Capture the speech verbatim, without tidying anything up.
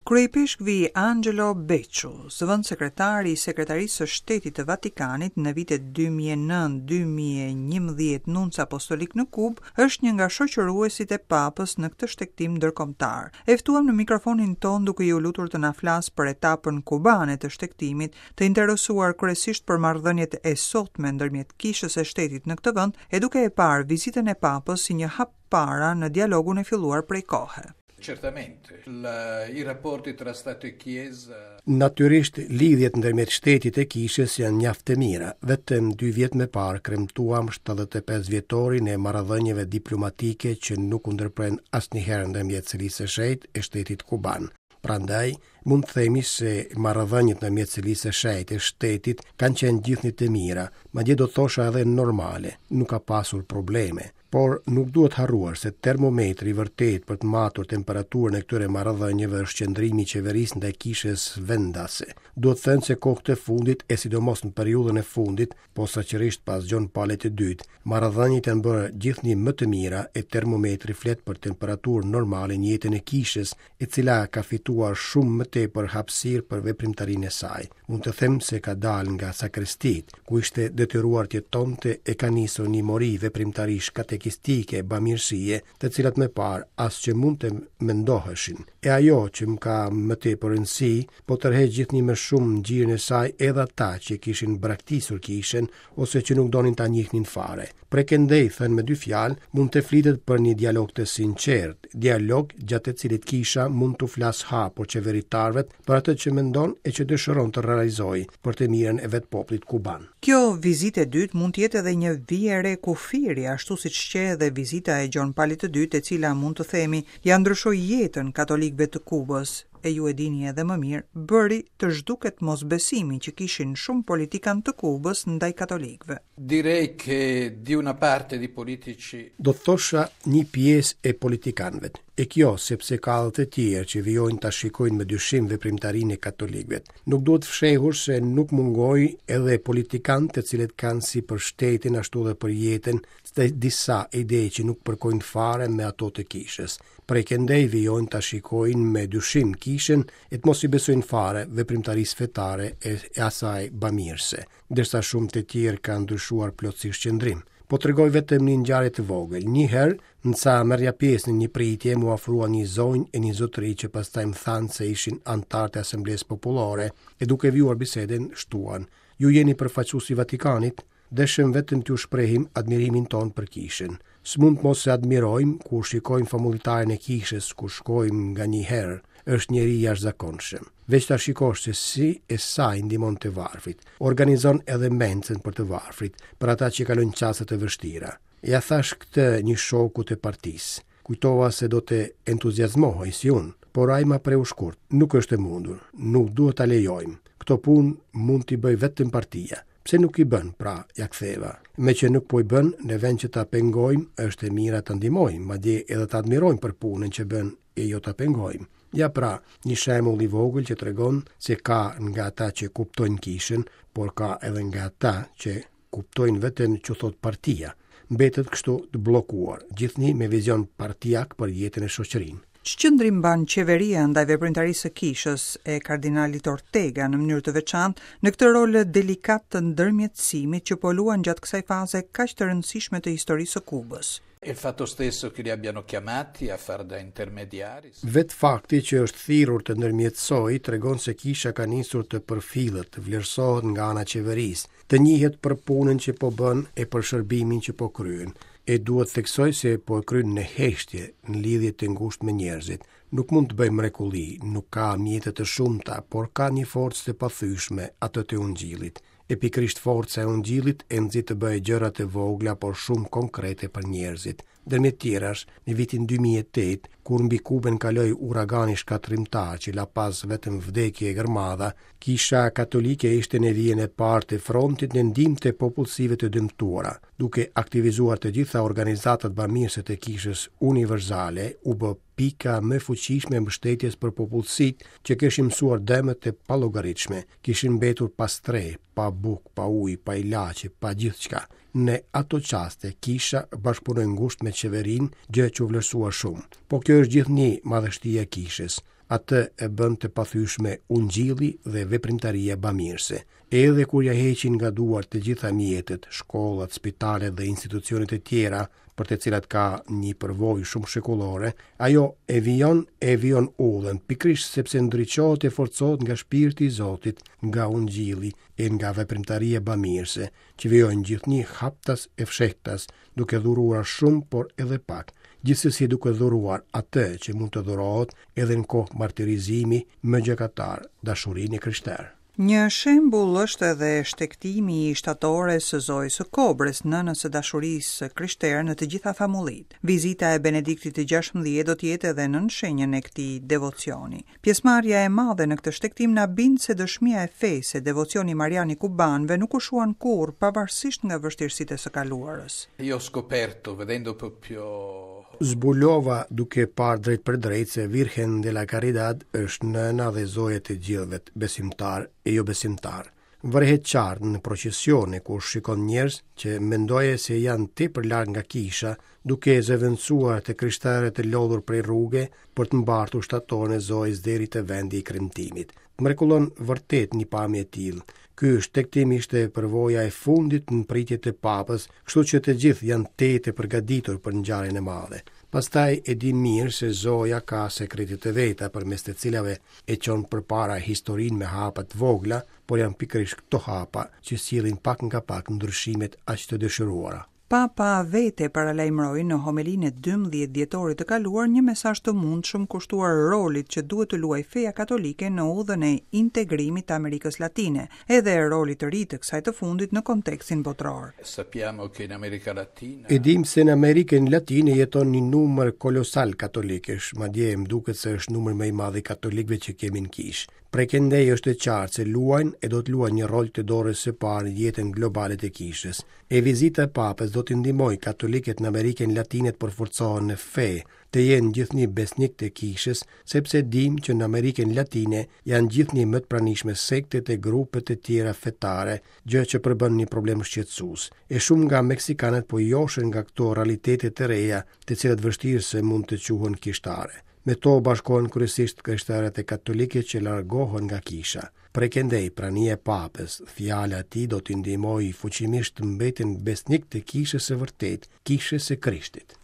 Kryeipeshkvi Angelo Becciu, zëvendëssekretari i Sekretarisë së Shtetit të Vatikanit në vitet dy mijë e nëntë-dy mijë e njëmbëdhjetë, nunc apostolik në Kubë, është një nga shoqëruesit e Papës në këtë shtegtim ndërkombëtar. E ftuam në mikrofonin ton duke iu lutur të na flasë për etapën kubane të shtegtimit, të interesuar kryesisht për marrëdhëniet e sotme ndërmjet kishës e shtetit në këtë vend, e duke e parë vizitën e Papës si një hap para në dialogun e filluar prej kohe. Certamente, la, i rapporti tra Stato e Chiesa. Natyrisht, lidhjet ndërmjet shtetit e kishës janë mjaft të mira. Vetëm dy vjet më parë kremtuam shtatëdhjetë e pesë vjetorin e marrëdhënieve diplomatike që nuk u ndërpren asnjëherë ndërmjet Selisë së Shenjtë e shtetit kuban. Prandaj, mund të themi se marrëdhëniet ndërmjet Selisë së Shenjtë e shtetit kanë qenë gjithnjë të mira, madje do të thosha edhe normale, nuk ka pasur probleme. Por nuk duhet harruar se termometri i vërtet për të matur temperaturën e këtyre marrëdhënieve është qëndrimi i qeverisë ndaj kishës vendase. Duhet thënë se kohët e fundit, e sidomos në periudhën e fundit, posaçërisht pas Gjon Palit të Dytë, marrëdhëniet janë bërë gjithnjë më të mira e termometri flet për temperaturë normale në jetën e kishës, e cila ka fituar shumë më tepër hapësirë për veprimtarinë e saj. Mund të them se ka dalë nga sakristit, ku ishte detyruar të jetonte, e ka nisur një mori veprimtarish katekistike, bamirësie, të cilat më parë as që mund të mendoheshin. E ajo që më ka më tepër rëndësi, po tërheq gjithnjë më shumë në gjirin e saj edhe ata që kishin braktisur kishën ose që nuk donin ta njihnin fare. Prej këndej, thënë me dy fjalë, mund të flitet për një dialog të sinqert, dialog gjatë të cilit kisha mund t'u flasë hapur qeveritarëve për atë që mendon e që dëshiron të realizojë për të mirën e vetë popullit kuban. Kjo vizitë e dytë mund të jetë edhe një vijë e re kufiri, ashtu siç qe edhe vizita e Gjon Palit të Dytë, e cila mund të themi ja ndryshoi jetën katolikëve të Kubës, e ju e dini edhe më mirë, bëri të zhduket mosbesimi që kishin shumë politikan të Kubës ndaj katolikëve. Direi che di una parte di politici Do të thosha një pjesë e politikanëve. E kjo sepse ka edhe të tjerë që vijojnë ta shikojnë me dyshim veprimtarinë e katolikëve. Nuk duhet fshehur se nuk mungoj edhe politikanë të cilët kanë si për shtetin ashtu edhe për jetën të disa ide që nuk përkojnë fare me ato të kishës. Prej këndej vijojnë ta shikojnë me dyshim kishën e të mos i besojnë fare veprimtarisë fetare e, e asaj bamirëse, ndërsa shumë të tjerë kanë ndryshuar plotësisht qëndrim. Po tregoj vetëm një ngjarje të vogël. Një herë, ndërsa merrja pjesë në një pritje, mu afrua një zonjë e një zotëri që pastaj më thanë se ishin anëtarë të Asamblesë Popullore, e duke vijuar bisedën shtuan: "Ju jeni përfaqësues i Vatikanit?" Deshëm vetëm t'ju shprehim admirimin ton për kishën. S'mund të mos e admirojmë kur shikojmë famullitarin e kishës, kur shkojmë nga një herë, është njeri i jashtëzakonshëm. Veç ta shikosh se si e sa i ndihmon të varfrit, organizon edhe mencën për të varfrit, për ata që kalojnë çaste të vështira. Ja thash këtë një shoku të partisë. Kujtova se do të entuziazmohej si unë, por ai ma preu shkurt. "Nuk është e mundur, nuk duhet ta lejojmë. Këto punë mund t'i bëj vetëm partia." "Pse nuk i bën, pra?" ja ktheva. "Me që nuk po i bën, në vend që ta pengojmë, është e mira ta ndihmojmë, madje edhe ta admirojmë për punën që bën e jo ta pengojmë." Ja pra, një shembull i vogël që tregon se ka nga ata që kuptojnë kishën, por ka edhe nga ata që kuptojnë vetëm që thot partia. Mbetet kështu të bllokuar, gjithnjë me vizion partijak për jetën e shoqërinë. Ç'qëndrim mban qeveria ndaj veprimtarisë së kishës e kardinalit Ortega në mënyrë të veçantë në këtë rol delikat të ndërmjetësimit që po luan gjatë kësaj faze kaq të rëndësishme të historisë së Kubës? E il fatto stesso che li abbiano chiamati a far da intermediari. Vetë fakti që është thirrur të ndërmjetësoj tregon se kisha ka nisur të përfillet, të vlerësohet nga ana e qeverisë, të njihet për punën që po bën e për shërbimin që po kryen. E duhet theksoj se po e kryen në heshtje, në lidhje të ngushtë me njerëzit. Nuk mund të bëjë mrekulli, nuk ka mjete të shumta, por ka një forcë të pathyeshme, atë të ungjillit. E pikërisht forca e ungjillit e nxit të bëjë gjëra të vogla, por shumë konkrete për njerëzit. Ndërmjet tjerash, në vitin dy mijë e tetë, kur mbi Kubën kaloi uragani shkatërrimtar që la pas vetëm vdekje e gërmadha, Kisha Katolike ishte në vijën e parë të frontit në ndihmë të popullsive të dëmtuara, duke aktivizuar të gjitha organizatat bamirëse të kishës universale, u bë pika më fuqishme e mbështetjes për popullsitë që kishin mësuar dëmet të pallogaritshme, kishin mbetur pa strehë, pa bukë, pa ujë, pa ilaçe, pa gjithçka. Në ato çaste kisha bashkëpunoi ngushtë me qeverinë, gjë që u vlerësua shumë. Po kjo është gjithnjë madhështia e kishës. Atë e bën të pathyeshme ungjilli dhe veprimtaria bamirëse. Edhe kur ja heqin nga duart të gjitha mjetet, shkollat, spitalet dhe institucionet e tjera, për të cilat ka një përvojë shumë shekullore, ajo e vijon e vijon udhën, pikërisht sepse ndriçohet e forcohet nga shpirti i Zotit, nga ungjilli e nga veprimtaria bamirëse, që vijojnë gjithnjë haptas e fshehtas, duke dhuruar shumë, por edhe pak, gjithsesi duke dhuruar atë që mund të dhurohet edhe në kohë martirizimi më gjakatar, dashurinë e krishterë. Një shembull është edhe shtegtimi i shtatores së Zojës së Kobrës, nënës së dashurisë së krishterë në të gjitha famullitë. Vizita e Benediktit të gjashtëmbëdhjetë do të jetë edhe nën shenjën e këtij devocioni. Pjesëmarrja e madhe në këtë shtegtim na bind se dëshmia e fesë e devocioni marian i kubanëve nuk u shuan kurrë, pavarësisht nga vështirësitë e së kaluarës. Io ho scoperto, vedendo proprio Zbulova duke parë drejt për drejt se Virgen de la Caridad është nëna dhe zoja të gjithëve, besimtar e jo besimtar. Vërehet qartë në procesione ku shikon njerëz që mendoje se janë tepër larg nga kisha, duke zëvendësuar të krishterët të lodhur prej rruge për të mbartur shtatoren e zojës deri te vendi i kremtimit. Mrekullon vërtet një pamje e tillë. Ky shtegtim ishte përvoja e fundit në pritje të papës, kështu që të gjithë janë te të përgatitur për ngjarjen e madhe. Pastaj e di mirë se Zoja ka sekretet e veta përmes të cilave e çon përpara historinë me hapa të vogla, por janë pikërisht këto hapa që sjellin pak nga pak ndryshimet aq të dëshiruara. Papa vete paralajmëroi në homelinë e dymbëdhjetë dhjetorit të kaluar një mesazh të mundshëm kushtuar rolit që duhet të luajë feja katolike në udhën e integrimit të Amerikës Latine, edhe rolit të ri të kësaj të fundit në kontekstin botëror. Sappiamo che in America Latina E dim se në Amerikën Latine jeton një numër kolosal katolikësh, madje më duket se është numri më i madh i katolikëve që kemi në kishë. Prej këndej është e qartë se luajnë e do të luajnë një rol të dorës së parë në jetën globale të kishës. E vizita e papës do t'i ndihmojë katolikët në Amerikën Latine të përforcohen në fe, të jenë gjithnjë besnik të kishës, sepse dim që në Amerikën Latine janë gjithnjë më të pranishme sektet e grupet e tjera fetare, gjë që përbën një problem shqetësues. E shumë nga meksikanët po joshen nga këto realitete të reja, të cilat vështirë se mund të quhen kishtare. Me to bashkohen kryesisht krishterët e katolike që largohen nga kisha. Prej këndej, prania e papës, fjala e tij do t'i ndihmojë fuqimisht të mbeten besnik të kishës së vërtetë, kishës së Krishtit.